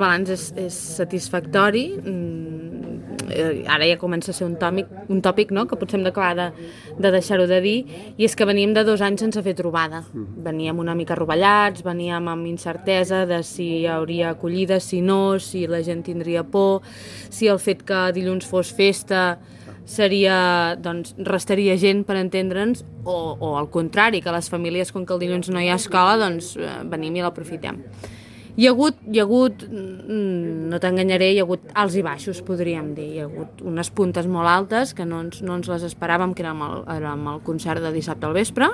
El balanç és satisfactori, ara ja comença a ser un tòpic, no? Que potser hem d'acabar de deixar-ho de dir, i és que veníem de 2 anys sense fer trobada. Veníem una mica rovellats, veníem amb incertesa de si hi hauria acollida, si no, si la gent tindria por, si el fet que dilluns fos festa restaria gent, per entendre'ns, o al contrari, que les famílies, com que el dilluns no hi ha escola, doncs venim i l'aprofitem. Hi ha hagut, no t'enganyaré, hi ha hagut alts i baixos, podríem dir. Hi ha hagut unes puntes molt altes que no ens les esperàvem, que era amb el concert de dissabte al vespre,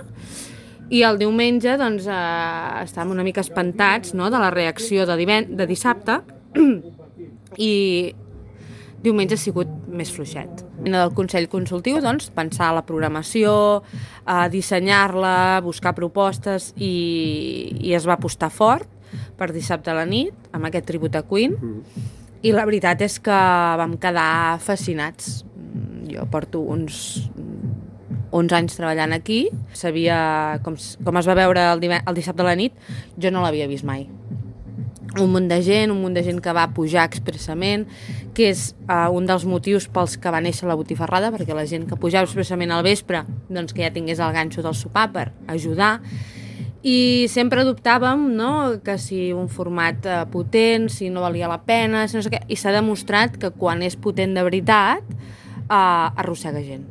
i el diumenge doncs, estàvem una mica espantats, no?, de la reacció de dissabte, i diumenge ha sigut més fluixet. Del Consell Consultiu, doncs, pensar la programació, dissenyar-la, buscar propostes, i es va apostar fort per dissabte a la nit, amb aquest tribut a Queen, i la veritat és que vam quedar fascinats. Jo porto uns 11 anys treballant aquí, sabia com es va veure el dissabte a la nit, jo no l'havia vist mai. Un munt de gent que va pujar expressament, que és un dels motius pels que va néixer la botifarrada, perquè la gent que pujava expressament al vespre, doncs que ja tingués el ganxo del sopar per ajudar. I sempre dubtàvem, no?, que si un format potent, si no valia la pena, si no sé què, i s'ha demostrat que quan és potent de veritat, arrossega gent.